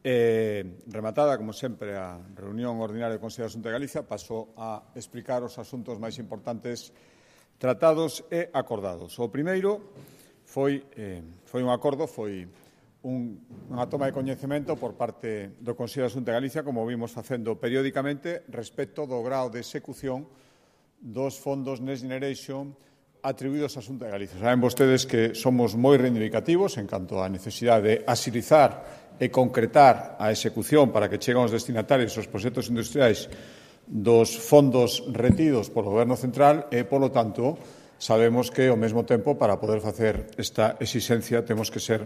Rematada, como sempre, a reunión ordinaria do Consello da Xunta de Galicia, paso a explicar os asuntos máis importantes tratados e acordados. O primeiro foi un acordo, foi unha toma de coñecemento por parte do Consello da Xunta de Galicia, como vimos facendo periódicamente, respecto do grao de execución dos fondos Next Generation atribuídos á Xunta de Galicia. Saben vostedes que somos moi reivindicativos en canto á necesidade de axilizar e concretar a execución para que cheguen aos destinatarios os proxectos industriais dos fondos retidos polo Goberno Central e, polo tanto, sabemos que, ao mesmo tempo, para poder facer esta exixencia, temos que ser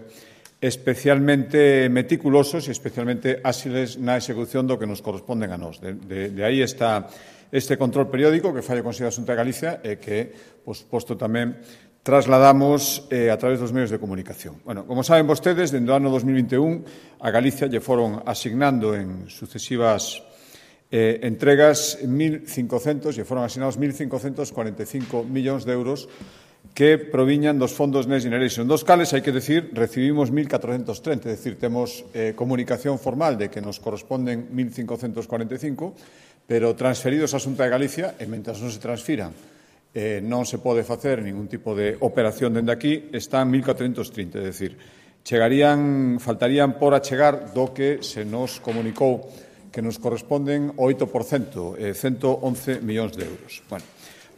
especialmente meticulosos e especialmente áxiles na execución do que nos corresponden a nós. De aí está este control periódico que fai o Consello da Xunta de Galicia e que, por suposto, tamén trasladamos a través dos medios de comunicación. Bueno, como saben vostedes, dende o ano 2021 a Galicia lle foron asignando en sucesivas entregas 1.500, lle foron asignados 1.545 millóns de euros que proviñan dos fondos Next Generation, dos cales, hai que decir, recibimos 1.430, é dicir, temos comunicación formal de que nos corresponden 1.545, pero transferidos á Xunta de Galicia, e mentras non se transfiran, non se pode facer ningún tipo de operación dende aquí, están 1.430, é dicir, faltarían por achegar do que se nos comunicou que nos corresponden o 8%, 111 millóns de euros. Bueno,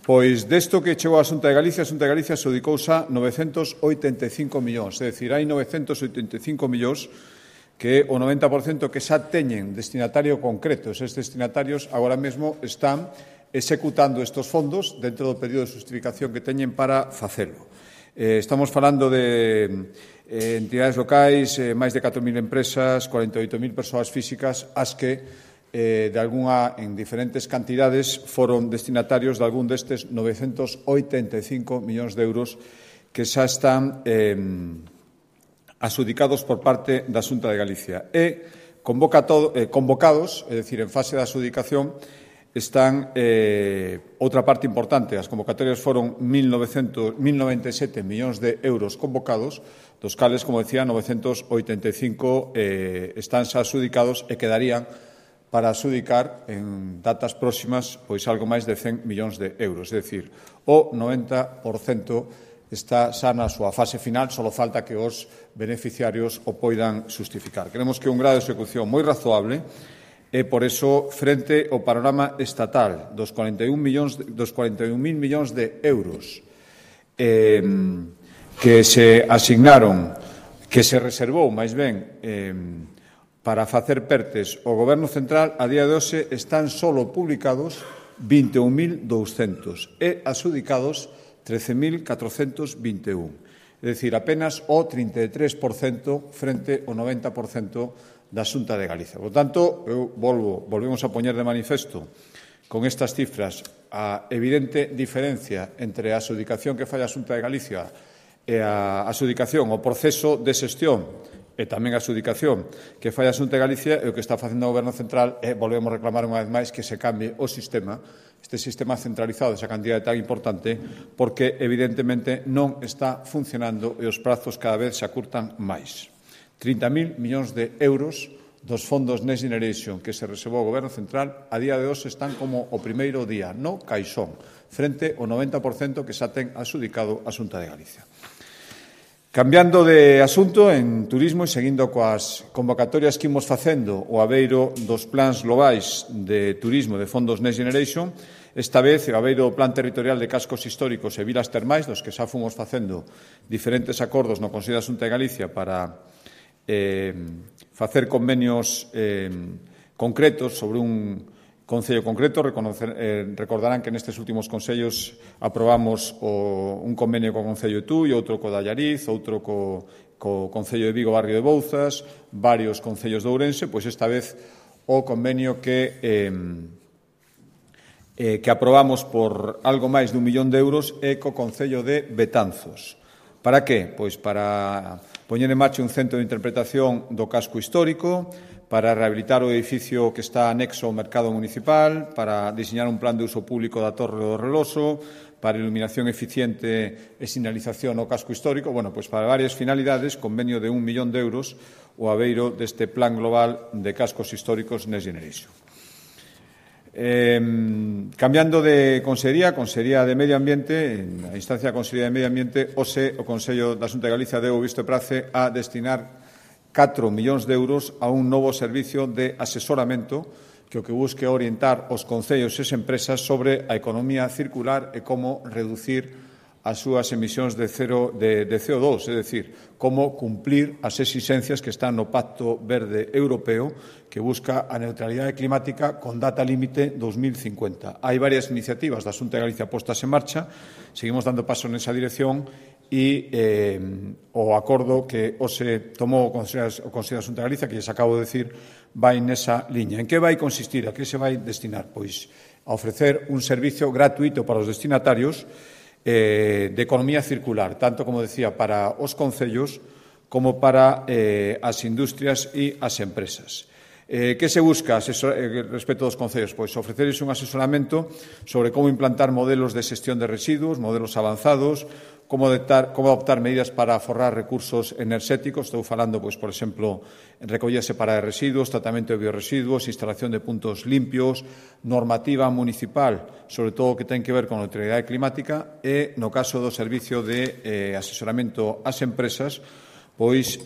pois desto que chegou a Xunta de Galicia, a Xunta de Galicia se dedicouse a 985 millóns, é dicir, hai 985 millóns que o 90% que xa teñen destinatario concreto. Eses destinatarios agora mesmo están executando estes fondos dentro do período de xustificación que teñen para facelo. Estamos falando de entidades locais, máis de 4.000 empresas, 48.000 persoas físicas, as que en diferentes cantidades foron destinatarios de algún destes 985 millóns de euros que xa están adxudicados por parte da Xunta de Galicia. E convocados, é dicir, en fase de adxudicación, están outra parte importante. As convocatorias foron 1.097 millóns de euros convocados, dos cales, como decía, 985 están xa adxudicados e quedarían para adxudicar en datas próximas pois algo máis de 100 millóns de euros. É dicir, o 90% está xa na súa fase final, só falta que os beneficiarios o poidan xustificar. Creemos que é un grado de execución moi razoable e, por eso, frente ao panorama estatal dos 41.000 millóns de euros que se asignaron, que se reservou, máis ben, para facer pertes o Goberno Central, a día de hoxe están solo publicados 21.200 e adxudicados 13.421. É dicir, apenas o 33% frente ao 90% da Xunta de Galicia. Por tanto, volvemos a poñer de manifesto con estas cifras a evidente diferencia entre a adxudicación que fai a Xunta de Galicia e a adxudicación, o proceso de xestión e tamén a adxudicación que fai a Xunta de Galicia e o que está facendo o Goberno Central e volvemos a reclamar unha vez máis que se cambie o sistema, este sistema centralizado, esa cantidade tan importante, porque evidentemente non está funcionando e os prazos cada vez se acurtan máis. 30.000 millóns de euros dos fondos Next Generation que se reservou o Goberno Central a día de hoxe están como o primeiro día no caixón, frente ao 90% que xa ten adxudicado a Xunta de Galicia. Cambiando de asunto, en turismo e seguindo coas convocatorias que imos facendo o abeiro dos plans globais de turismo de fondos Next Generation, esta vez o abeiro do Plan Territorial de Cascos Históricos e Vilas Termais, dos que xa fomos facendo diferentes acordos no Consello da Xunta de Galicia para facer convenios concretos sobre un concello concreto. Recordarán que nestes últimos concellos aprobamos un convenio co Concello de Tui, outro co de Allariz, outro co Concello de Vigo, Barrio de Bouzas, varios concellos de Ourense, pois esta vez o convenio que aprobamos por algo máis de 1 millón de euros é co Concello de Betanzos. Para que? Pois para poñer en marcha un centro de interpretación do casco histórico, para rehabilitar o edificio que está anexo ao mercado municipal, para diseñar un plan de uso público da Torre do Reloso, para iluminación eficiente e sinalización no casco histórico, pois para varias finalidades, convenio de 1 millón de euros o aveiro deste plan global de cascos históricos Next Generation. Cambiando de Consellería, Consellería de Medio Ambiente, a instancia da Consellería de Medio Ambiente, o Consello da Xunta de Galicia deu visto e prace a destinar 4 millóns de euros a un novo servicio de asesoramento que o que busque orientar os concellos e as empresas sobre a economía circular e como reducir as súas emisións de CO2, é dicir, como cumplir as exixencias que están no Pacto Verde Europeo que busca a neutralidade climática con data límite 2050. Hai varias iniciativas da Xunta de Galicia postas en marcha, seguimos dando paso nesa dirección e o acordo que hoxe tomou o Consello da Xunta de Galicia, que lles acabo de decir, vai nesa liña. En que vai consistir? A que se vai destinar? Pois a ofrecer un servicio gratuito para os destinatarios de economía circular, tanto, como decía, para os concellos como para as industrias e as empresas. Que se busca respecto dos concellos? Pois ofrecerles un asesoramento sobre como implantar modelos de xestión de residuos, modelos avanzados, como adoptar medidas para aforrar recursos enerxéticos. Estou falando, pois, por exemplo, recollida separada de residuos, tratamento de bioresiduos, instalación de puntos limpios, normativa municipal, sobre todo o que ten que ver con a neutralidade climática e, no caso do servicio de asesoramento ás empresas, pois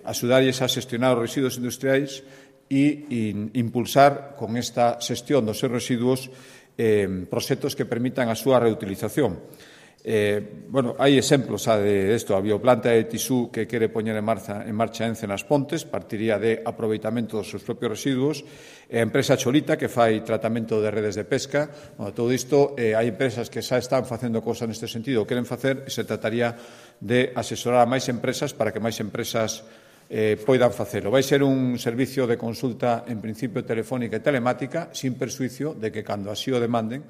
axudarlles a xestionar os residuos industriais e impulsar con esta xestión dos seus residuos proxectos que permitan a súa reutilización. Hai exemplos de isto. A bioplanta de Tisú que quere poñer en marcha Ence nas Pontes partiría de aproveitamento dos seus propios residuos. A empresa Cholita que fai tratamento de redes de pesca. Todo isto, hai empresas que xa están facendo cosas neste sentido o queren facer e se trataría de asesorar a máis empresas para que máis empresas poidan facelo. Vai ser un servicio de consulta en principio telefónica e telemática sin persuicio de que cando así o demanden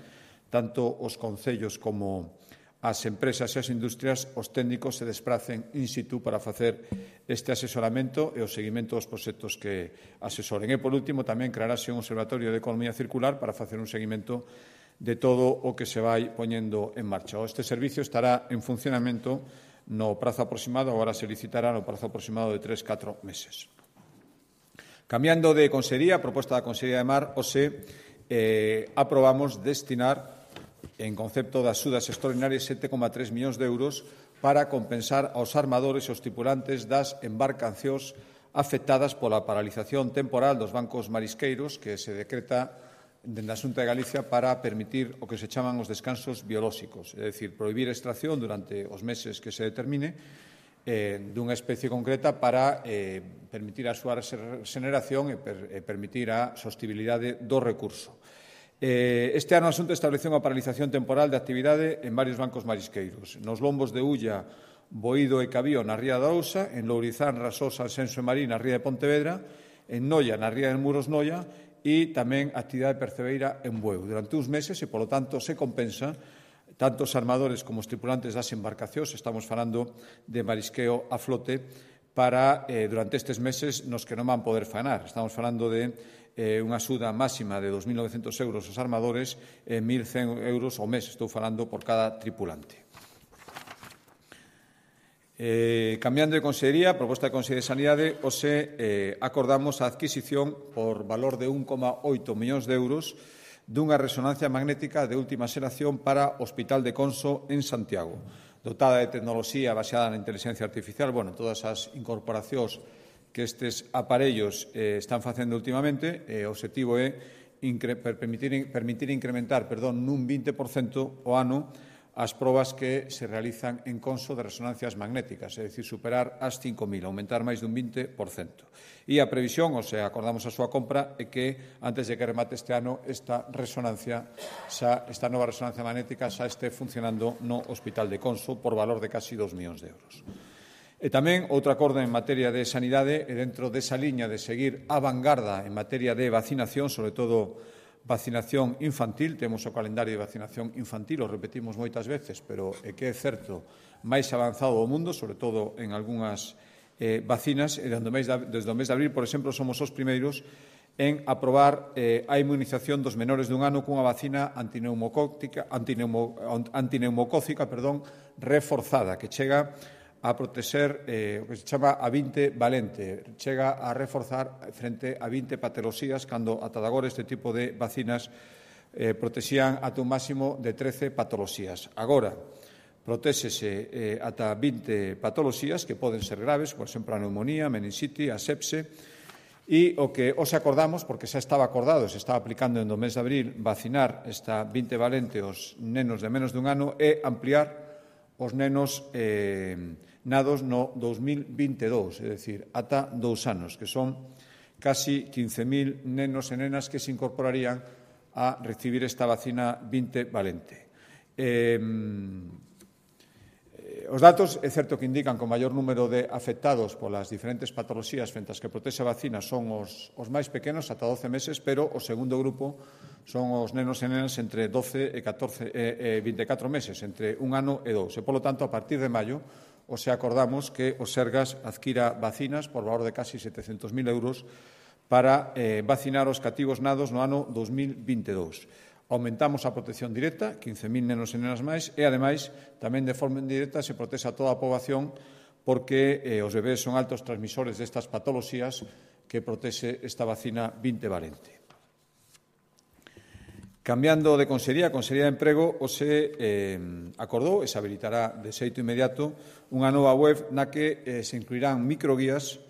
tanto os concellos como as empresas e as industrias, os técnicos se despracen in situ para facer este asesoramento e o seguimento dos proxectos que asesoren. E, por último, tamén crearase un observatorio de economía circular para facer un seguimento de todo o que se vai poñendo en marcha. Este servicio estará en funcionamento no prazo aproximado, agora se licitará no prazo aproximado de 3-4 meses. Cambiando de Consellería, a proposta da Consellería de Mar, aprobamos destinar en concepto de axudas extraordinarias 7,3 millóns de euros para compensar aos armadores e aos tripulantes das embarcacións afectadas pola paralización temporal dos bancos marisqueiros que se decreta dende a Xunta de Galicia para permitir o que se chaman os descansos biolóxicos, é dicir, prohibir a extracción durante os meses que se determine dunha especie concreta para permitir a súa regeneración e permitir a sostibilidade do recurso. Este ano a Xunta estableceu unha paralización temporal de actividade en varios bancos marisqueiros. Nos lombos de Ulla, Boído e Cabío na ría da Ousa, en Lourizán, Rasosa, Alsenso e Marín na ría de Pontevedra, en Noia na ría de Muros Noia e tamén actividade percebeira en Bueu. Durante uns meses e, polo tanto, se compensa tanto os armadores como os tripulantes das embarcacións, estamos falando de marisqueo a flote, para durante estes meses nos que non van poder faenar. Estamos falando de unha axuda máxima de 2.900 euros aos armadores e 1.100 euros ao mes, estou falando, por cada tripulante. Cambiando de Consellería, a proposta de Consellería de Sanidade, acordamos a adquisición por valor de 1,8 millóns de euros dunha resonancia magnética de última xeración para o Hospital de Conso en Santiago, dotada de tecnoloxía baseada na inteligencia artificial, todas as incorporacións que estes aparellos están facendo últimamente. O obxectivo é permitir incrementar nun 20% o ano as probas que se realizan en Conso de resonancias magnéticas, é dicir, superar as 5.000, aumentar máis dun 20%. E a previsión, acordamos a súa compra, é que antes de que remate este ano esta nova resonancia magnética xa este funcionando no Hospital de Conso por valor de casi 2 millóns de euros. E tamén outro acordo en materia de sanidade e dentro desa liña de seguir a vanguarda en materia de vacinación, sobre todo vacinación infantil. Temos o calendario de vacinación infantil, o repetimos moitas veces, pero é que é certo máis avanzado do mundo, sobre todo en algunhas vacinas e desde o mes de abril, por exemplo, somos os primeiros en aprobar a inmunización dos menores dun ano cunha vacina antineumocócica reforzada, que chega a protexer o que se chama a 20 valente, chega a reforzar frente a 20 patoloxías, cando ata agora este tipo de vacinas protexían ata un máximo de 13 patoloxías. Agora, protéxese ata 20 patoloxías que poden ser graves, por exemplo, a neumonía, a meningite, a sepse, e o que os acordamos, porque xa estaba acordado, se estaba aplicando no mes de abril, vacinar esta 20 valente os nenos de menos dun ano e ampliar os nenos nados no 2022, é dicir, ata 2 anos, que son casi 15.000 nenos e nenas que se incorporarían a recibir esta vacina 20 valente. Os datos é certo que indican que o maior número de afectados polas diferentes patoloxías frente ás que protexe a vacina son os máis pequenos, ata 12 meses, pero o segundo grupo son os nenos e nenas entre 12 e 24 meses, entre 1 ano e 2. E, polo tanto, a partir de maio, acordamos que o Sergas adquira vacinas por valor de casi 700.000 euros para vacinar os cativos nados no ano 2022. Aumentamos a protección directa, 15.000 nenos e nenas máis, e, ademais, tamén de forma indirecta se protexe a toda a poboación porque os bebés son altos transmisores destas patoloxías que protexe esta vacina 20 valente. Cambiando de consellería, a Consellería de Emprego se acordou e se habilitará de xeito inmediato unha nova web na que se incluirán microguías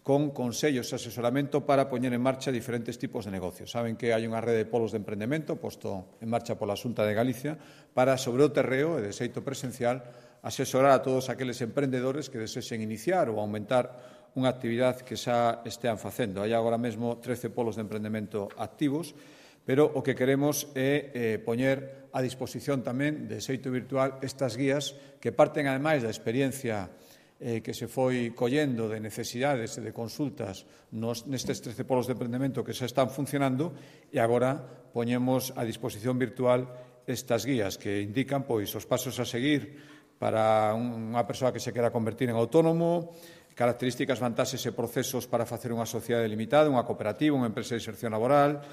con consellos e asesoramento para poñer en marcha diferentes tipos de negocios. Saben que hai unha rede de polos de emprendemento posto en marcha pola Xunta de Galicia para, sobre o terreo e de xeito presencial, asesorar a todos aqueles emprendedores que desexen iniciar ou aumentar unha actividade que xa estean facendo. Hai agora mesmo 13 polos de emprendemento activos, pero o que queremos é poñer a disposición tamén de xeito virtual estas guías que parten, ademais, da experiencia que se foi collendo de necesidades e de consultas nestes 13 polos de emprendemento que xa están funcionando e agora poñemos a disposición virtual estas guías que indican os pasos a seguir para unha persoa que se quera convertir en autónomo, características, vantaxes e procesos para facer unha sociedade limitada, unha cooperativa, unha empresa de inserción laboral,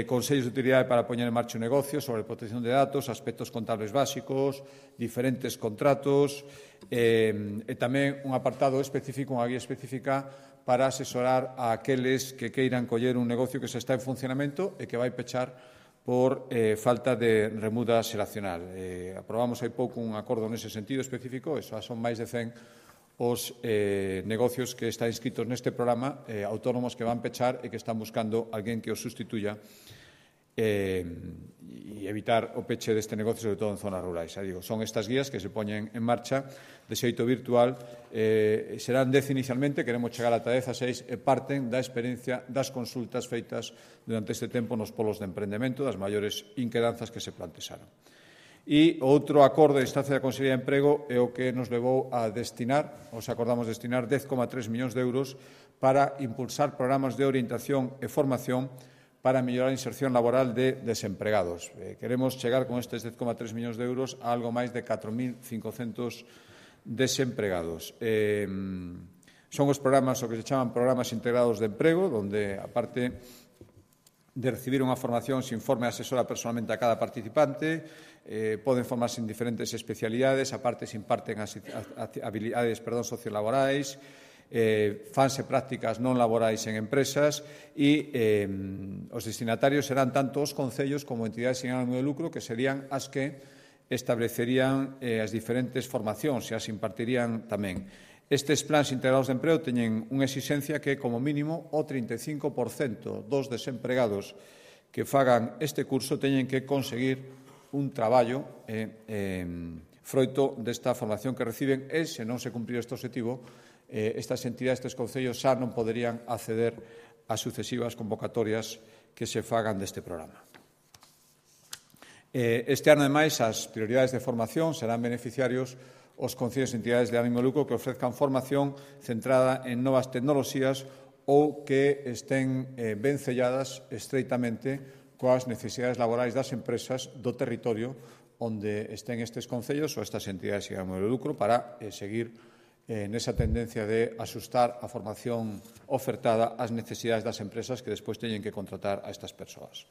consellos de utilidade para poñer en marcha un negocio sobre protección de datos, aspectos contables básicos, diferentes contratos e tamén un apartado específico, unha guía específica para asesorar a aqueles que queiran coller un negocio que se está en funcionamento e que vai pechar por falta de remuda xeracional. Aprobamos hai pouco un acordo nese sentido específico, e son máis de 100 os negocios que están inscritos neste programa, autónomos que van pechar e que están buscando alguén que os sustituya e evitar o peche deste negocio, sobre todo en zonas rurais. Son estas guías que se poñen en marcha de xeito virtual, serán 10 inicialmente, queremos chegar ata 10 a 6 e parten da experiencia das consultas feitas durante este tempo nos polos de emprendemento, das maiores inquedanzas que se plantexaron. E outro acordo de instancia da Consellería de Emprego é o que nos levou a destinar, acordamos destinar 10,3 millóns de euros para impulsar programas de orientación e formación para mellorar a inserción laboral de desempregados. Queremos chegar con estes 10,3 millóns de euros a algo máis de 4.500 desempregados. Son os programas, o que se chaman programas integrados de emprego, onde, aparte de recibir unha formación, se informe e asesora personalmente a cada participante, poden formarse en diferentes especialidades, aparte se imparten habilidades sociolaborais, fanse prácticas non laborais en empresas e os destinatarios serán tanto os concellos como entidades sin ánimo de lucro, que serían as que establecerían as diferentes formacións e as impartirían tamén. Estes plans integrados de emprego teñen unha exigencia que, como mínimo, o 35% dos desempregados que fagan este curso teñen que conseguir un traballo froito desta formación que reciben e, se non se cumprir este objetivo, estas entidades, estes concellos, xa non poderían acceder a sucesivas convocatorias que se fagan deste programa. Este ano, ademais, as prioridades de formación serán beneficiarios os concellos e entidades de ánimo de lucro que ofrezcan formación centrada en novas tecnoloxías ou que estén ben selladas estreitamente coas necesidades laborais das empresas do territorio onde estén estes concellos ou estas entidades de ánimo de lucro para seguir nesa tendencia de asustar a formación ofertada ás necesidades das empresas que despois teñen que contratar a estas persoas.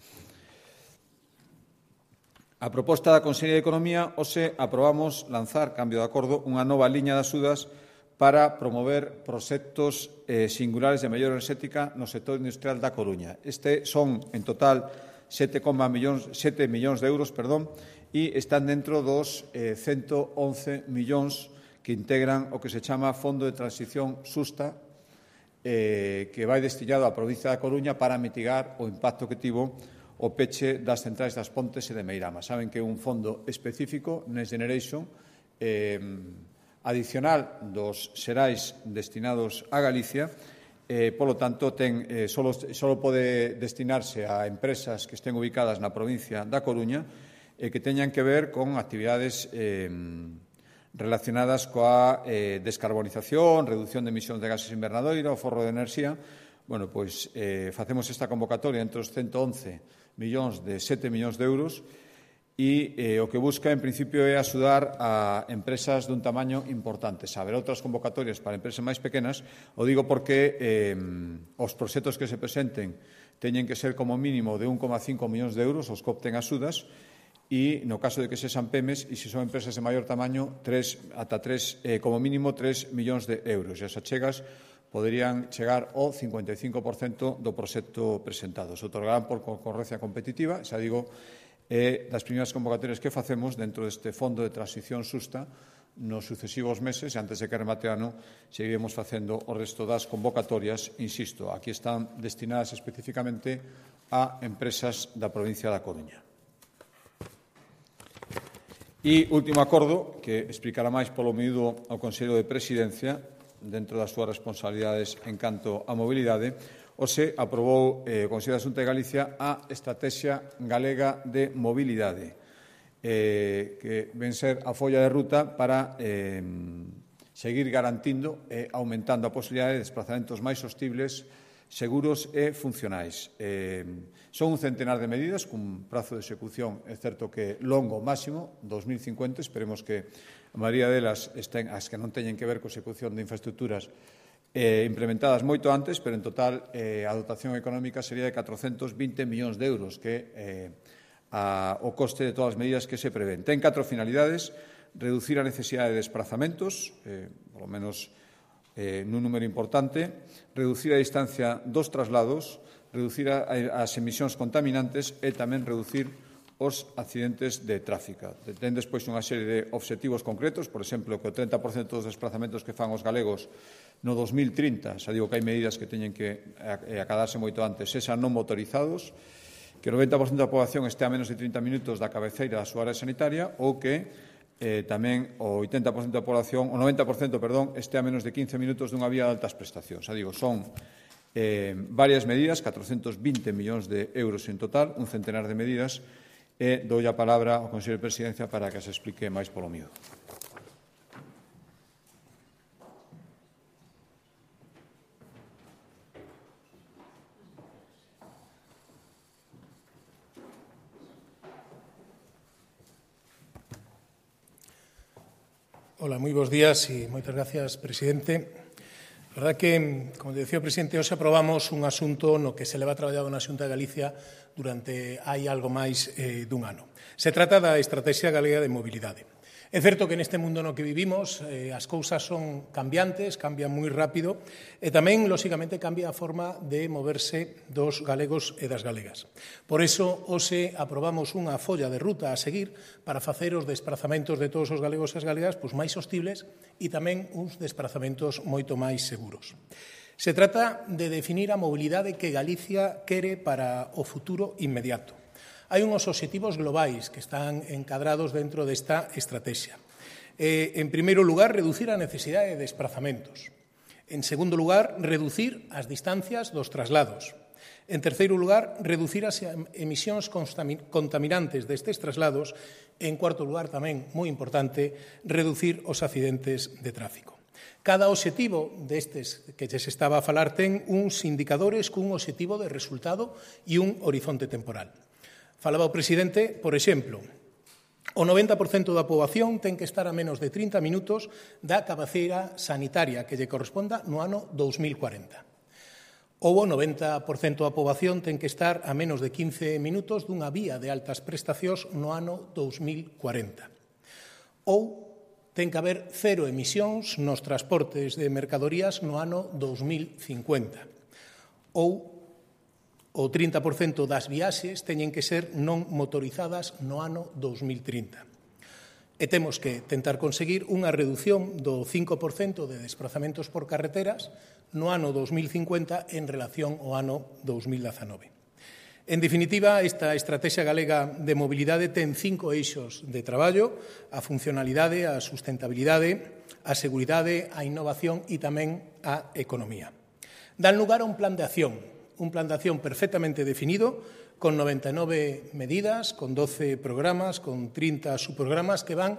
A proposta da Consellería de Economía, hoxe aprobamos lanzar, cambio de acordo, unha nova liña de axudas para promover proxectos singulares de mellora enerxética no sector industrial da Coruña. Este son, en total, 7 millóns de euros, e están dentro dos 111 millóns que integran o que se chama Fondo de Transición Xusta, que vai destinado á provincia da Coruña para mitigar o impacto que tivo o peche das centrais das Pontes e de Meirama. Saben que é un fondo específico, Next Generation, adicional dos xerais destinados a Galicia, polo tanto, só pode destinarse a empresas que estén ubicadas na provincia da Coruña e que teñan que ver con actividades relacionadas coa descarbonización, reducción de emisións de gases invernadoiro, o forro de enerxía. Bueno, pois facemos esta convocatoria entre os 111 millóns de 7 millóns de euros e o que busca, en principio, é axudar a empresas dun tamaño importante. Haberá outras convocatorias para empresas máis pequenas, o digo porque os proxectos que se presenten teñen que ser como mínimo de 1,5 millóns de euros os que opten axudas e, no caso de que sexan PEMES, e se son empresas de maior tamaño, como mínimo 3 millóns de euros. E as achegas poderían chegar ao 55% do proxecto presentado. Se otorgarán por concorrencia competitiva, xa digo, das primeiras convocatorias que facemos dentro deste Fondo de Transición Xusta nos sucesivos meses, e antes de que remate o ano, seguiremos facendo o resto das convocatorias, insisto, aquí están destinadas especificamente a empresas da provincia da Coruña. E último acordo, que explicará máis polo miúdo ao Consello de Presidencia, dentro das súas responsabilidades en canto á mobilidade, hoxe aprobou o Consello da Xunta de Galicia a Estrategia Galega de Mobilidade, que ven ser a folla de ruta para seguir garantindo e aumentando a posibilidade de desplazamentos máis sostibles, seguros e funcionais. Son un centenar de medidas, cun prazo de execución, é certo que longo máximo, 2050, esperemos que a maioría delas estén, as que non teñen que ver co execución de infraestructuras implementadas moito antes, pero en total a dotación económica sería de 420 millóns de euros, que é o coste de todas as medidas que se prevén. Ten 4 finalidades: reducir a necesidade de desplazamentos, polo menos nun número importante, reducir a distancia dos traslados, reducir as emisións contaminantes e tamén reducir os accidentes de tráfico. Ten despois unha serie de obxectivos concretos, por exemplo, que o 30% dos desplazamentos que fan os galegos no 2030, xa digo que hai medidas que teñen que acadarse moito antes, sexan non motorizados, que o 90% da poboación este a menos de 30 minutos da cabeceira da súa área sanitaria ou que tamén o 80% da poboación, o 90%, este a menos de 15 minutos dunha vía de altas prestacións. Xa digo, son varias medidas, 420 millóns de euros en total, un centenar de medidas, e dou a palabra ao Consello de Presidencia para que se explique máis polo miúdo. Hola, moi bons días e moitas gracias, presidente. A verdade que, como decía o presidente, hoxe aprobamos un asunto no que se leva traballado na Xunta de Galicia durante hai algo máis dun ano. Se trata da Estrategia Galega de Mobilidade. É certo que neste mundo no que vivimos as cousas son cambiantes, cambian moi rápido e tamén, lóxicamente, cambia a forma de moverse dos galegos e das galegas. Por iso, hoxe aprobamos unha folla de ruta a seguir para facer os desplazamentos de todos os galegos e as galegas máis sostibles e tamén uns desplazamentos moito máis seguros. Se trata de definir a mobilidade que Galicia quere para o futuro inmediato. Hai unhos obxectivos globais que están encadrados dentro desta estrategia. En primeiro lugar, reducir a necesidade de desplazamentos. En segundo lugar, reducir as distancias dos traslados. En terceiro lugar, reducir as emisións contaminantes destes traslados. En cuarto lugar, tamén, moi importante, reducir os accidentes de tráfico. Cada obxectivo destes que se estaba a falar ten uns indicadores cun obxectivo de resultado e un horizonte temporal. Falaba o presidente, por exemplo, O 90% da poboación ten que estar a menos de 30 minutos da cabeceira sanitaria que lle corresponda no ano 2040. Ou o 90% da poboación ten que estar a menos de 15 minutos dunha vía de altas prestacións no ano 2040. Ou ten que haber cero emisións nos transportes de mercadorías no ano 2050. Ou o 30% das viaxes teñen que ser non motorizadas no ano 2030. E temos que tentar conseguir unha reducción do 5% de desplazamentos por carreteras no ano 2050 en relación ao ano 2019. En definitiva, esta Estrategia Galega de Mobilidade ten 5 eixos de traballo: a funcionalidade, a sustentabilidade, a seguridade, a innovación e tamén a economía. Dan lugar a un plan de acción perfectamente definido, con 99 medidas, con 12 programas, con 30 subprogramas que van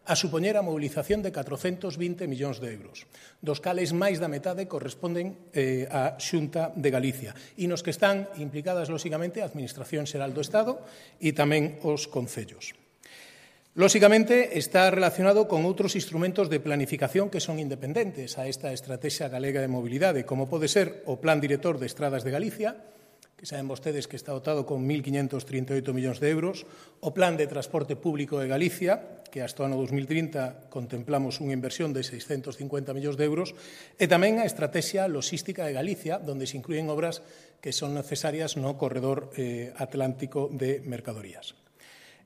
a supoñer a mobilización de 420 millóns de euros, dos cales máis da metade corresponden á Xunta de Galicia, e nos que están implicadas, lóxicamente, a Administración Xeral do Estado e tamén os concellos. Lóxicamente, está relacionado con outros instrumentos de planificación que son independentes a esta Estrategia Galega de Mobilidade, como pode ser o Plan Director de Estradas de Galicia, que saben vostedes que está dotado con 1.538 millóns de euros, o Plan de Transporte Público de Galicia, que hasta o ano 2030 contemplamos unha inversión de 650 millóns de euros, e tamén a Estrategia Logística de Galicia, onde se inclúen obras que son necesarias no corredor atlántico de mercadorías.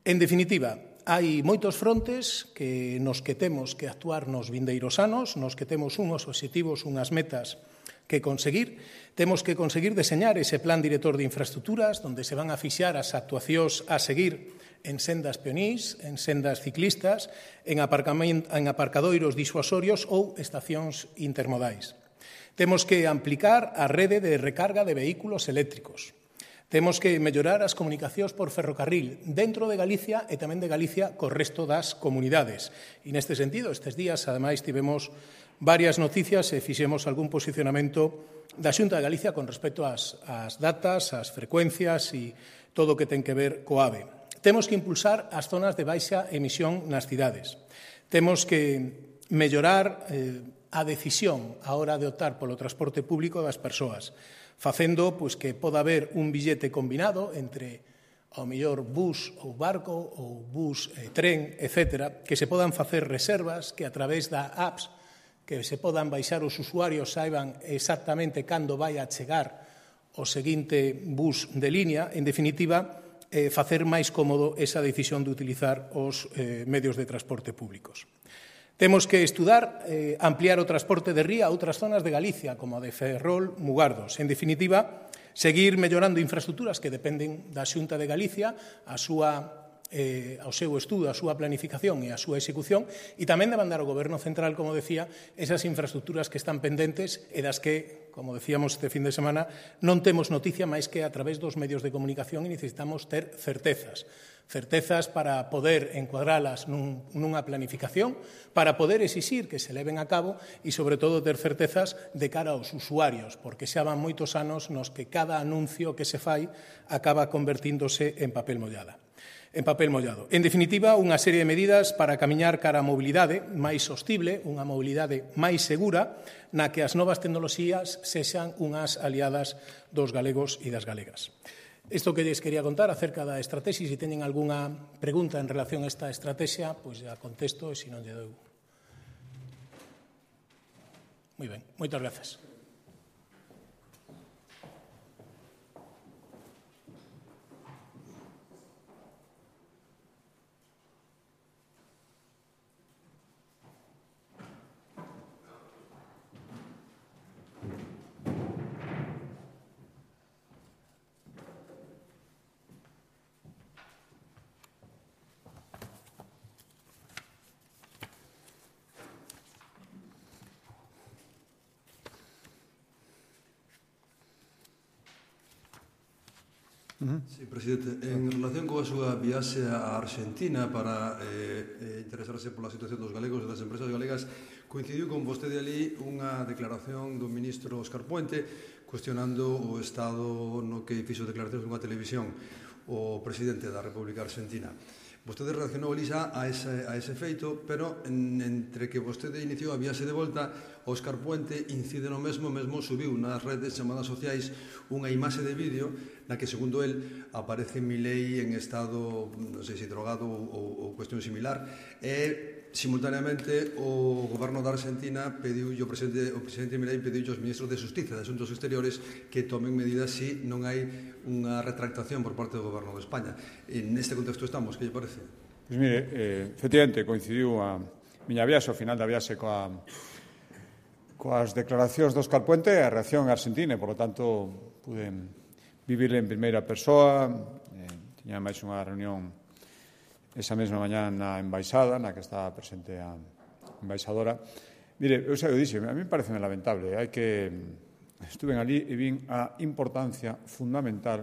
En definitiva, hai moitos frontes nos que temos que actuar nos vindeiros anos, nos que temos unhos obxectivos, unhas metas que conseguir. Temos que conseguir deseñar ese plan director de infraestructuras, onde se van a fixar as actuacións a seguir en sendas peonís, en sendas ciclistas, en aparcadoiros disuasorios ou estacións intermodais. Temos que ampliar a rede de recarga de vehículos eléctricos. Temos que mellorar as comunicacións por ferrocarril dentro de Galicia e tamén de Galicia co resto das comunidades. E neste sentido, estes días, ademais, tivemos varias noticias e fixemos algún posicionamento da Xunta de Galicia con respecto ás datas, ás frecuencias e todo o que ten que ver co AVE. Temos que impulsar as zonas de baixa emisión nas cidades. Temos que mellorar a decisión a hora de optar polo transporte público das persoas, facendo que poda haber un billete combinado entre ao mellor bus ou barco ou bus e tren, etc., que se podan facer reservas, que a través da apps que se podan baixar os usuarios saiban exactamente cando vai a chegar o seguinte bus de línea, en definitiva, facer máis cómodo esa decisión de utilizar os medios de transporte públicos. Temos que estudar ampliar o transporte de ría a outras zonas de Galicia, como a de Ferrol, Mugardos. En definitiva, seguir mellorando infraestructuras que dependen da Xunta de Galicia, ao seu estudo, a súa planificación e a súa execución, e tamén demandar ao Goberno Central, como decía, esas infraestructuras que están pendentes e das que, como decíamos este fin de semana, non temos noticia máis que a través dos medios de comunicación e necesitamos ter certezas para poder encuadralas nunha planificación, para poder exixir que se leven a cabo e, sobre todo, ter certezas de cara aos usuarios, porque xa van moitos anos nos que cada anuncio que se fai acaba convertíndose en papel mollado. En definitiva, unha serie de medidas para camiñar cara a mobilidade máis sostible, unha mobilidade máis segura, na que as novas tecnoloxías sexan unhas aliadas dos galegos e das galegas. Isto que lles quería contar acerca da estrategia, se teñen algunha pregunta en relación a esta estrategia, pois já contesto, e se non lle dou. Moi ben, moitas grazas. Sí, presidente, en relación coa súa viaxe a Argentina para interesarse pola situación dos galegos e das empresas galegas, coincidiu con vostede ali unha declaración do ministro Óscar Puente cuestionando o estado no que fixo declaracións nunha televisión o presidente da República Argentina. Vostede reaccionou ali xa a ese feito, pero entre que vostede iniciou a viaxe de volta, Óscar Puente incide no mesmo subiu nas redes chamadas sociais unha imaxe de vídeo na que, segundo el, aparece Milei en estado, non sei se drogado ou cuestión similar, e simultaneamente o goberno da Argentina pediu, o presidente Milei pediu aos ministros de Justicia e de Asuntos Exteriores que tomen medidas se non hai unha retractación por parte do goberno de España. Neste contexto estamos, que lle parece? Pois mire, efectivamente coincidiu a miña viaxe, ao final da viaxe coas declaracións do Óscar Puente e a reacción argentina, e, por lo tanto, pude vivir en primeira persoa. Tiña máis unha reunión esa mesma mañá na embaixada, na que estaba presente a embaixadora. Mire, eu xa o dixen, a mí parece lamentable. Estuve ali e vin a importancia fundamental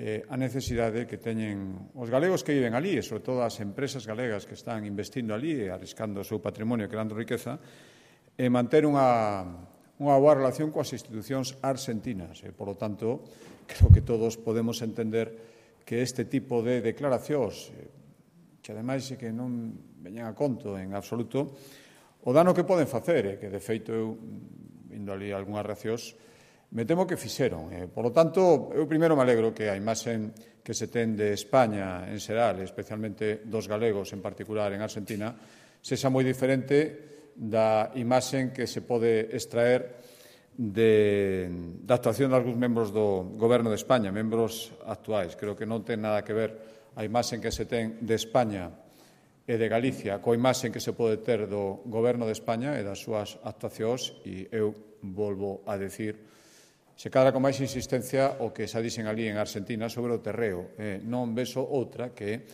a necesidade que teñen os galegos que viven ali, e sobre todo as empresas galegas que están investindo ali e arriscando o seu patrimonio, creando riqueza, e manter unha boa relación coas institucións argentinas. E, por lo tanto, creo que todos podemos entender que este tipo de declaracións, que ademais é que non veñan a conto en absoluto, o dano que poden facer, que de feito eu, vindo ali algunhas reaccións, me temo que fixeron. Por lo tanto, eu primeiro me alegro que a imaxe que se ten de España en xeral, especialmente dos galegos en particular en Argentina, sexa moi diferente da imaxe que se pode extraer da actuación de algúns membros do Goberno de España, membros actuais. Creo que non ten nada que ver a imaxe que se ten de España e de Galicia coa imaxe que se pode ter do Goberno de España e das súas actuacións, e eu volvo a decir, se cadra con máis insistencia o que xa dixen ali en Argentina sobre o terreo. Non vexo outra que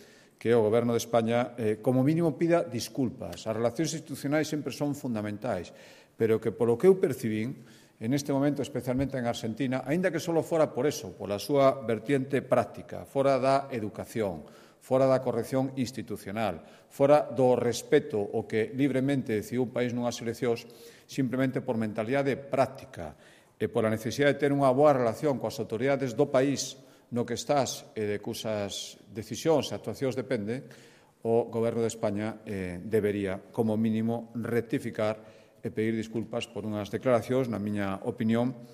o Goberno de España, como mínimo, pida disculpas. As relacións institucionais sempre son fundamentais, pero que, polo que eu percibín, en este momento, especialmente en Argentina, aínda que só fora por eso, pola súa vertiente práctica, fora da educación, fora da corrección institucional, fora do respeto o que libremente decidiu un país nunhas eleccións, simplemente por mentalidade práctica e pola necesidade de ter unha boa relación coas autoridades do país no que estás e de cusas decisións e actuacións depende, o Goberno de España debería, como mínimo, rectificar e pedir disculpas por unhas declaracións, na miña opinión,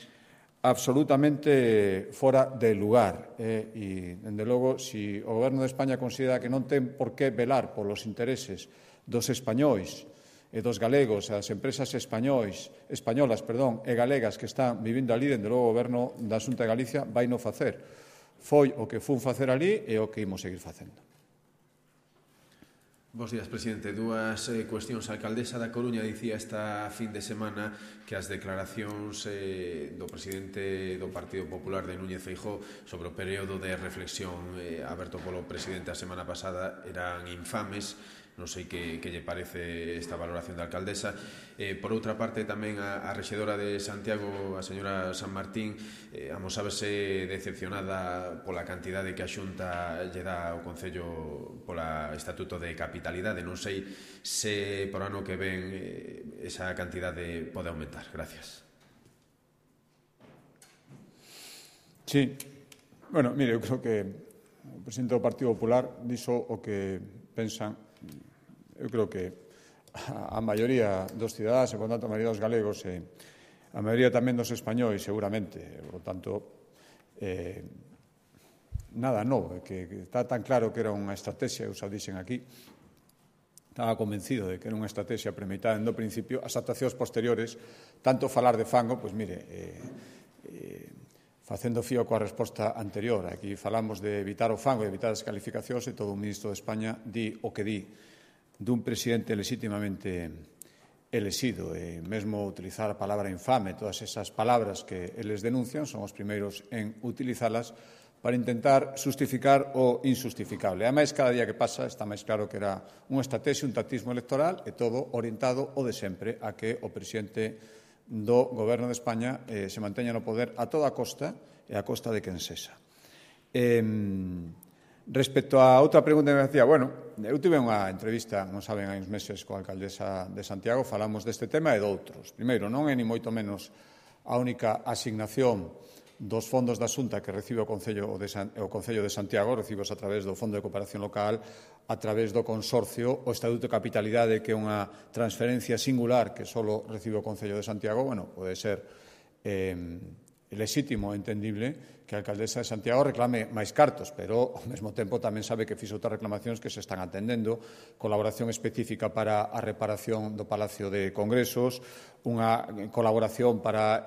absolutamente fora de lugar. E, dende logo, se o Goberno de España considera que non ten por que velar polos intereses dos españois e dos galegos, as empresas españolas e galegas que están vivindo ali, dende logo o Goberno da Xunta de Galicia vai non facer. Foi o que fun facer ali e o que imos seguir facendo. Bos días, presidente. Dúas cuestións. A alcaldesa da Coruña dicía esta fin de semana que as declaracións do presidente do Partido Popular de Núñez Feijóo sobre o período de reflexión aberto polo presidente a semana pasada eran infames. Non sei que lle parece esta valoración da alcaldesa. Por outra parte, tamén a rexedora de Santiago, a señora San Martín, amosábase decepcionada pola cantidade que a Xunta lle dá ao Concello pola Estatuto de Capitalidade. Non sei se por ano que ven esa cantidade pode aumentar. Gracias. Sí. Bueno, mire, eu creo que o presidente do Partido Popular dixo o que pensan. Eu creo que a maioría dos cidadáns, e, por tanto, a maioría dos galegos e a maioría tamén dos españois, seguramente. Por tanto, nada novo, que está tan claro que era unha estrategia, eu xa dixen aquí, estaba convencido de que era unha estrategia premeditada no principio. As actuacións posteriores, tanto falar de fango, pois mire, facendo fío coa resposta anterior. Aquí falamos de evitar o fango e evitar as calificacións, e todo o ministro de España di o que di dun presidente legitimamente elexido, e mesmo utilizar a palabra infame, todas esas palabras que eles denuncian, son os primeiros en utilizalas para intentar justificar o injustificable. Ademais, cada día que pasa está máis claro que era unha estrategia, un tactismo electoral, e todo orientado o de sempre a que o presidente do Goberno de España se manteña no poder a toda costa e a costa de quen sexa. Respecto a outra pregunta que me hacía, bueno, eu tive unha entrevista, non saben, hai uns meses coa alcaldesa de Santiago, falamos deste tema e doutros. Primeiro, non é ni moito menos a única asignación dos fondos da Xunta que recibe o Concello de Santiago, recibos a través do Fondo de Cooperación Local, a través do consorcio, o Estatuto de Capitalidade, que é unha transferencia singular que só recibe o Concello de Santiago, pode ser lexítimo e entendible que a alcaldesa de Santiago reclame máis cartos, pero ao mesmo tempo tamén sabe que fixo outras reclamacións que se están atendendo, colaboración específica para a reparación do Palacio de Congresos, unha colaboración para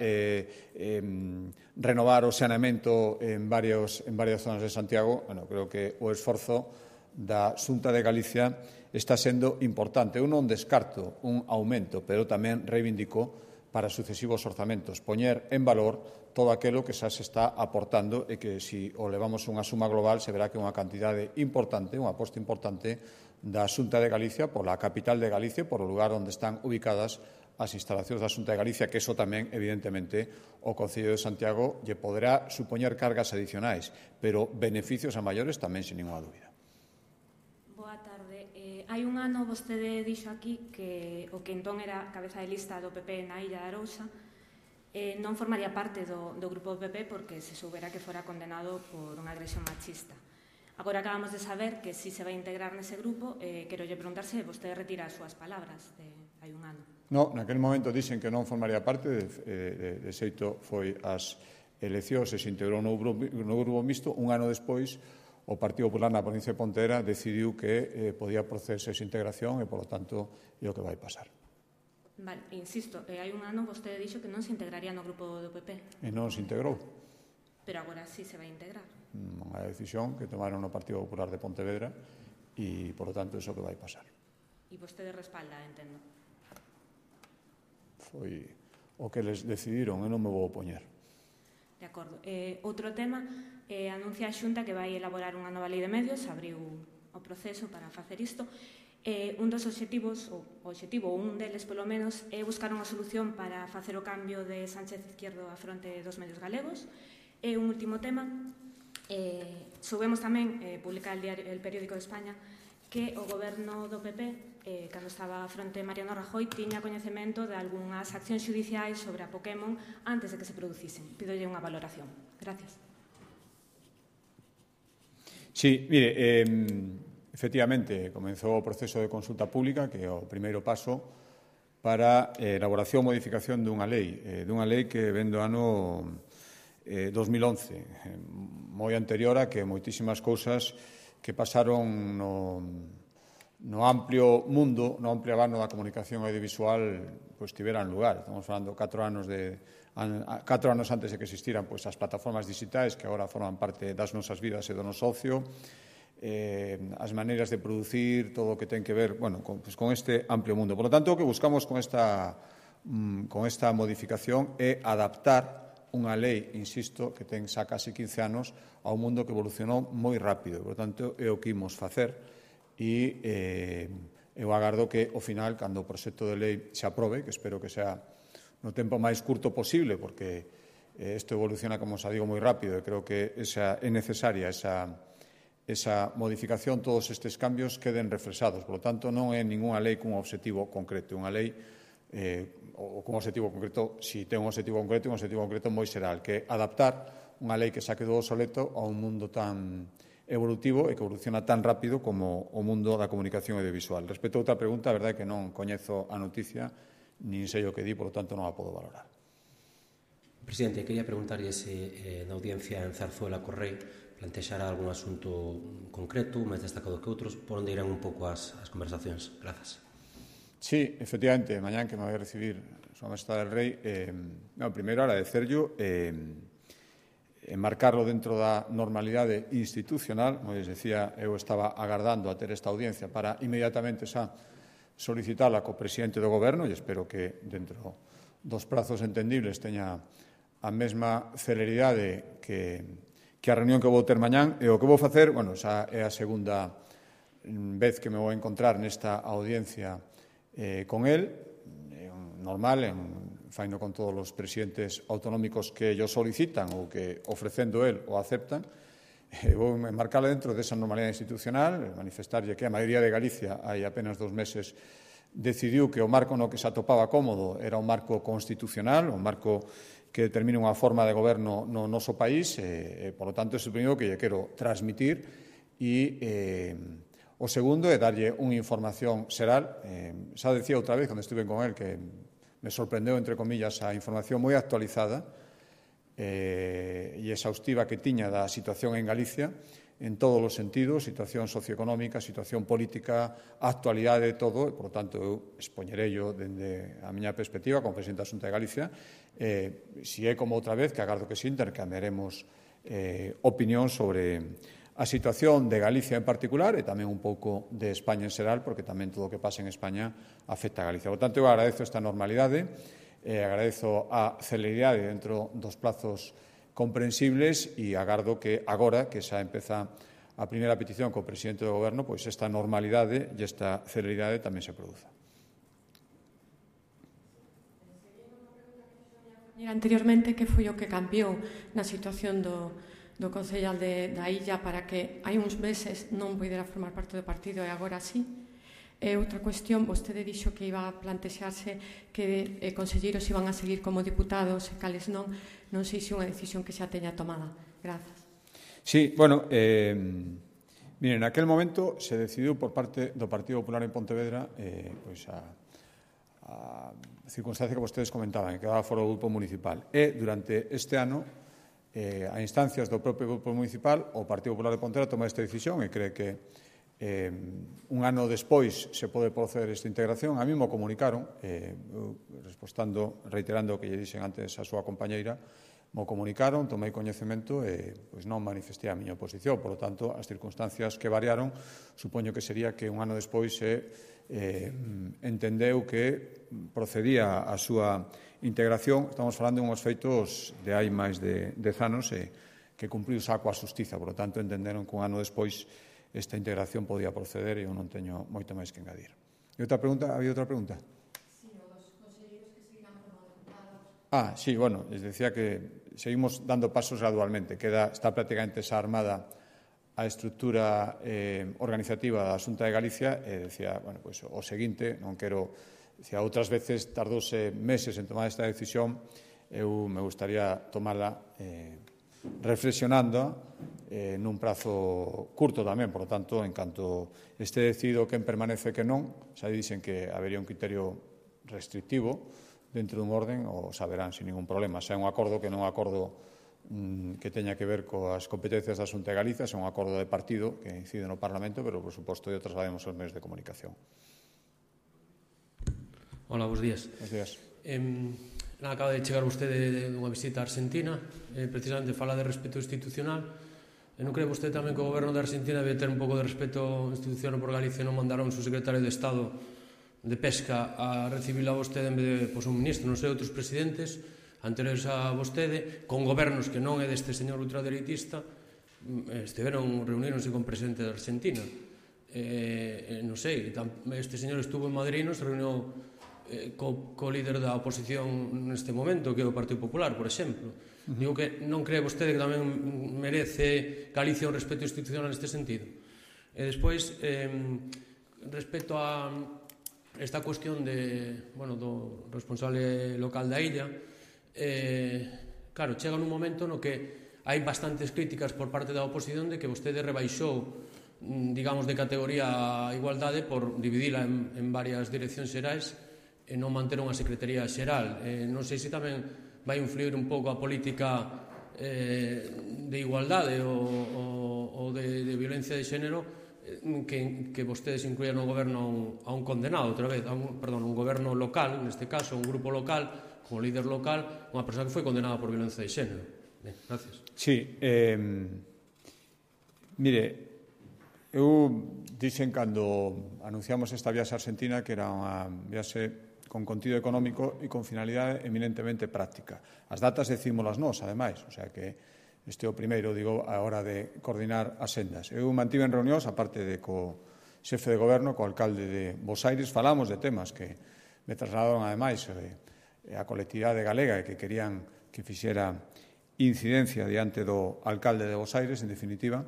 renovar o saneamento en varias zonas de Santiago. Creo que o esforzo da Xunta de Galicia está sendo importante. Eu non descarto un aumento, pero tamén reivindico para sucesivos orzamentos, poñer en valor todo aquilo que xa se está aportando e que, se o levamos unha suma global, se verá que é unha cantidade importante, unha aposta importante da Xunta de Galicia pola capital de Galicia, por o lugar onde están ubicadas as instalacións da Xunta de Galicia, que iso tamén, evidentemente, o Concello de Santiago lle poderá supoñer cargas adicionais, pero beneficios a maiores tamén, sin ninguna dúbida. Hai un ano vostede dixo aquí que o que entón era cabeza de lista do PP na Illa de Arousa non formaría parte do grupo do PP porque se soubera que fora condenado por unha agresión machista. Agora acabamos de saber que si se vai integrar nese grupo, quero lle preguntar se vostede retira as súas palabras de hai un ano. No, naquele momento dixen que non formaría parte, de xeito foi as eleccións e se integrou no grupo mixto. Un ano despois, o Partido Popular na provincia de Pontevedra decidiu que podía procederse esa integración e, polo tanto, é o que vai pasar. Vale, insisto, hai un ano vostede dixo que non se integraría no grupo do PP. E non se integrou. Pero agora sí se vai integrar. Unha decisión que tomaron no Partido Popular de Pontevedra e, polo tanto, é o que vai pasar. E vostede respalda, entendo. Foi o que les decidiron, e non me vou opoñer. De acordo. Outro tema, anuncia a Xunta que vai elaborar unha nova lei de medios, abriu o proceso para facer isto. Un dos obxectivos, un deles polo menos, é buscar unha solución para facer o cambio de Sánchez Izquierdo á fronte dos medios galegos. E un último tema, soubemos tamén, publicar el Periódico de España, que o goberno do PP, cando estaba a fronte Mariano Rajoy, tiña coñecemento de algunhas accións xudiciais sobre a Pokémon antes de que se producisen. Pidolle unha valoración. Gracias. Sí, mire, efectivamente, comenzou o proceso de consulta pública, que é o primeiro paso para a elaboración e modificación dunha lei que ven do ano 2011, moi anterior a que moitísimas cousas que pasaron no amplio mundo, no amplio abano da comunicación audiovisual, pois tiveran lugar. Estamos falando 4 anos antes de que existiran as plataformas digitais que agora forman parte das nosas vidas e do noso ocio, as maneiras de producir, todo o que ten que ver con este amplio mundo. Por lo tanto, o que buscamos con esta modificación é adaptar unha lei, insisto, que ten xa casi 15 anos a un mundo que evolucionou moi rápido. Por tanto, é o que imos facer e eu agardo que, ao final, cando o proxecto de lei se aprobe, que espero que sea no tempo máis curto posible, porque isto evoluciona, como xa digo, moi rápido, e creo que é necesaria esa modificación, todos estes cambios queden reflexados. Por lo tanto, non é ninguna lei cun obxectivo concreto, unha lei ou cun obxectivo concreto, si ten un obxectivo concreto moi xeral, que é adaptar unha lei que xa quedou obsoleto a un mundo tan evolutivo e que evoluciona tan rápido como o mundo da comunicación audiovisual. Respecto a outra pregunta, a verdade é que non coñezo a noticia, nin sei o que di, por lo tanto non a podo valorar. Presidente, quería preguntarlle se na audiencia en Zarzuela Correi plantexará algún asunto concreto, máis destacado que outros, por onde irán un pouco as conversacións. Grazas. Sí, efectivamente, mañán que me vai a recibir a Súa Majestade del Rei, primeiro agradecerllo enmarcarlo dentro da normalidade institucional. Como les decía, eu estaba agardando a ter esta audiencia para inmediatamente xa solicitala co presidente do Goberno e espero que dentro dos prazos entendibles teña a mesma celeridade que a reunión que vou ter mañán. E o que vou facer, xa é a segunda vez que me vou encontrar nesta audiencia con el, normal, faino con todos os presidentes autonómicos que ellos solicitan ou que ofrecendo el o aceptan. Vou enmarcarla dentro desa normalidade institucional, manifestarlle que a maioría de Galicia hai apenas 2 meses decidiu que o marco no que se atopaba cómodo era un marco constitucional, un marco que determine unha forma de goberno no noso país, por lo tanto, é o primeiro que lle quero transmitir e o segundo é darlle unha información xeral. Xa decía outra vez, cando estive con él, que me sorprendeu, entre comillas, a información moi actualizada e exhaustiva que tiña da situación en Galicia, en todos os sentidos, situación socioeconómica, situación política, actualidade, todo, e, por tanto, eu expoñerello dende a miña perspectiva como presidente da Xunta de Galicia. Si é como outra vez, que agardo que si intercambiaremos opinión sobre a situación de Galicia en particular e tamén un pouco de España en xeral, porque tamén todo o que pasa en España afecta a Galicia. Por tanto, eu agradezo esta normalidade, agradezo a celeridade dentro dos plazos comprensibles e agardo que agora, que xa empeza a primeira petición co presidente do Goberno, pois esta normalidade e esta celeridade tamén se produza. Anteriormente, que foi o que cambiou na situación do concellal da Illa para que hai uns meses non poidera formar parte do partido e agora sí? E outra cuestión, vostede dixo que iba a plantexarse que conselleiros iban a seguir como diputados e cales non sei se unha decisión que xa teña tomada. Grazas. Sí, bueno, miren, naquel momento se decidiu por parte do Partido Popular en Pontevedra pois a circunstancia que vostedes comentaban, que quedaba fora do grupo municipal. E durante este ano, a instancias do propio grupo municipal, o Partido Popular de Pontevedra toma esta decisión e cree que un ano despois se pode proceder esta integración. A mí me comunicaron, reiterando o que lle dixen antes a súa compañeira, me comunicaron, tomei coñecemento e pois non manifestei a miña oposición. Por lo tanto, as circunstancias que variaron, supoño que sería que un ano despois entendeu que procedía a súa integración. Estamos falando de uns feitos de hai máis de 10 anos que cumpriu xa coa xustiza. Por lo tanto, entenderon que un ano despois esta integración podía proceder e eu non teño moito máis que engadir. E outra pregunta? Había outra pregunta? Sí, os conselleiros que seguirán como deputados. Sí, bueno, les decía que seguimos dando pasos gradualmente. Está prácticamente xa armada a estrutura organizativa da Xunta de Galicia e decía, bueno, pois o seguinte, non quero, decía, outras veces tardouse meses en tomar esta decisión, eu me gustaría tomarla reflexionando nun prazo curto tamén, por lo tanto, en canto este decidido quen permanece que non, xa dicen que habería un criterio restrictivo dentro dun orden, o saberán sin ningún problema. Xa é un acordo que non é un acordo que teña que ver coas competencias da Xunta de Galicia, é un acordo de partido que incide no Parlamento, pero, por suposto, eu traslademos aos medios de comunicación. Hola, bons días. Bons días. Acaba de chegar vostede dunha visita a Argentina, precisamente fala de respeto institucional. Non cree vostede tamén que o goberno de Argentina debe ter un pouco de respeto institucional por Galicia e non mandaron o seu secretario de Estado de Pesca a recibila a vostede en vez de un ministro, non sei, outros presidentes anteriores a vostede, con gobernos que non é deste señor ultradereitista, reuníronse con o presidente de Argentina. Non sei, este señor estuvo en Madrid, se reuniu co líder da oposición neste momento, que é o Partido Popular, por exemplo. Digo que non cree vostede que tamén merece Galicia un respeto institucional neste sentido. E despois, respecto a esta cuestión do responsable local da illa, claro, chega nun momento no que hai bastantes críticas por parte da oposición de que vostede rebaixou, digamos, de categoría a igualdade por dividila en varias direccións xerais e non manter unha secretaría xeral. Non sei se tamén vai influir un pouco a política de igualdade ou de violencia de xénero que vostedes incluían no goberno a un condenado, outra vez, un goberno local, neste caso, un grupo local, como líder local, unha persoa que foi condenada por violencia de xénero. Ben, gracias. Sí, mire, eu dixen cando anunciamos esta viaxe a Argentina que era unha viaxe con contido económico e con finalidade eminentemente práctica. As datas decímolas nós, ademais, o sea que este é o primeiro, digo, a hora de coordinar as sendas. Eu mantive en reunións, aparte de co xefe de goberno, co alcalde de Bos Aires, falamos de temas que me trasladaron, ademais, a colectividade galega e que querían que fixera incidencia diante do alcalde de Bos Aires, en definitiva.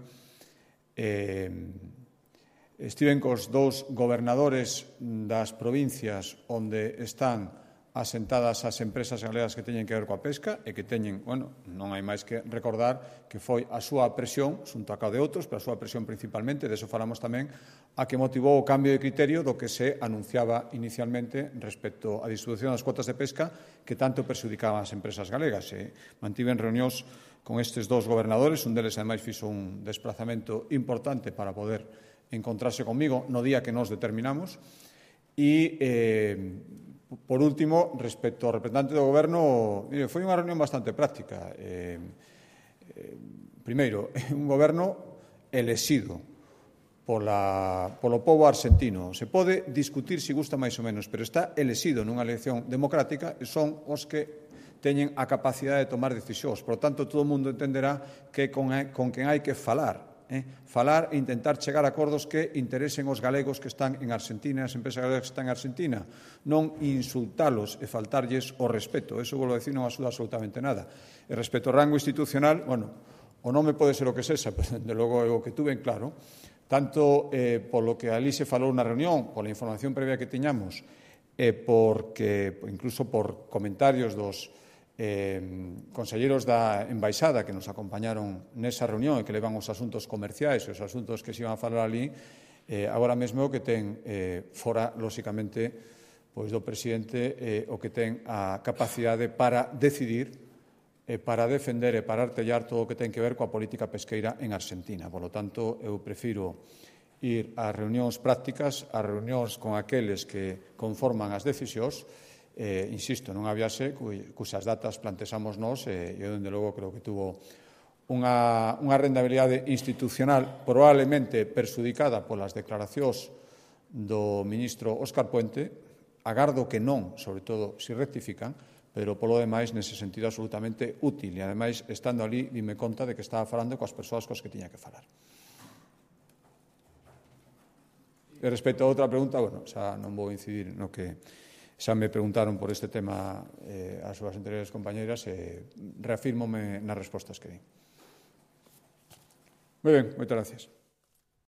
Estiven cos dous gobernadores das provincias onde están asentadas as empresas galegas que teñen que ver coa pesca e que teñen, bueno, non hai máis que recordar que foi a súa presión, xunto a cada de outros, pero a súa presión principalmente, de eso falamos tamén, a que motivou o cambio de criterio do que se anunciaba inicialmente respecto á distribución das cuotas de pesca que tanto perxudicaban as empresas galegas. Mantiven reunións con estes dous gobernadores, un deles ademais fixo un desplazamento importante para poder encontrarse comigo no día que nos determinamos e por último, respecto ao representante do Goberno, foi unha reunión bastante práctica. Primeiro, un Goberno elexido polo pobo arxentino. Se pode discutir se gusta máis ou menos, pero está elexido nunha elección democrática e son os que teñen a capacidade de tomar decisións. Por tanto, todo o mundo entenderá que con quen hai que falar. Falar e intentar chegar a acordos que interesen os galegos que están en Argentina, as empresas galegas que están en Argentina, non insultalos e faltarlles o respeto. Eso, volvo a decir, non axuda absolutamente nada. E respecto ao rango institucional, bueno, o nome pode ser o que sexa, pero, de logo, é o que tuve en claro, tanto polo que ali se falou na reunión, pola información previa que tiñamos, porque, incluso por comentarios dos conselleiros da Embaixada que nos acompañaron nesa reunión e que levan os asuntos comerciais e os asuntos que se iban a falar ali, agora mesmo o que ten fora, lóxicamente, pois do presidente o que ten a capacidade para decidir, para defender e para artellar todo o que ten que ver coa política pesqueira en Argentina. Por lo tanto, eu prefiro ir a reunións prácticas, a reunións con aqueles que conforman as decisións. Insisto, nunha viaxe cuxas datas plantexamos nós e eu, dende logo, creo que tuvo unha rendabilidade institucional probablemente perxudicada polas declaracións do ministro Óscar Puente. Agardo que non, sobre todo, se rectifican, pero polo demais, nese sentido, absolutamente útil. E, ademais, estando ali, dime conta de que estaba falando coas persoas coas que tiña que falar. E respecto a outra pregunta, bueno, xa non vou incidir no que xa me preguntaron por este tema as súas anteriores compañeiras e reafírmome nas respostas que di. Moi ben, moitas gracias.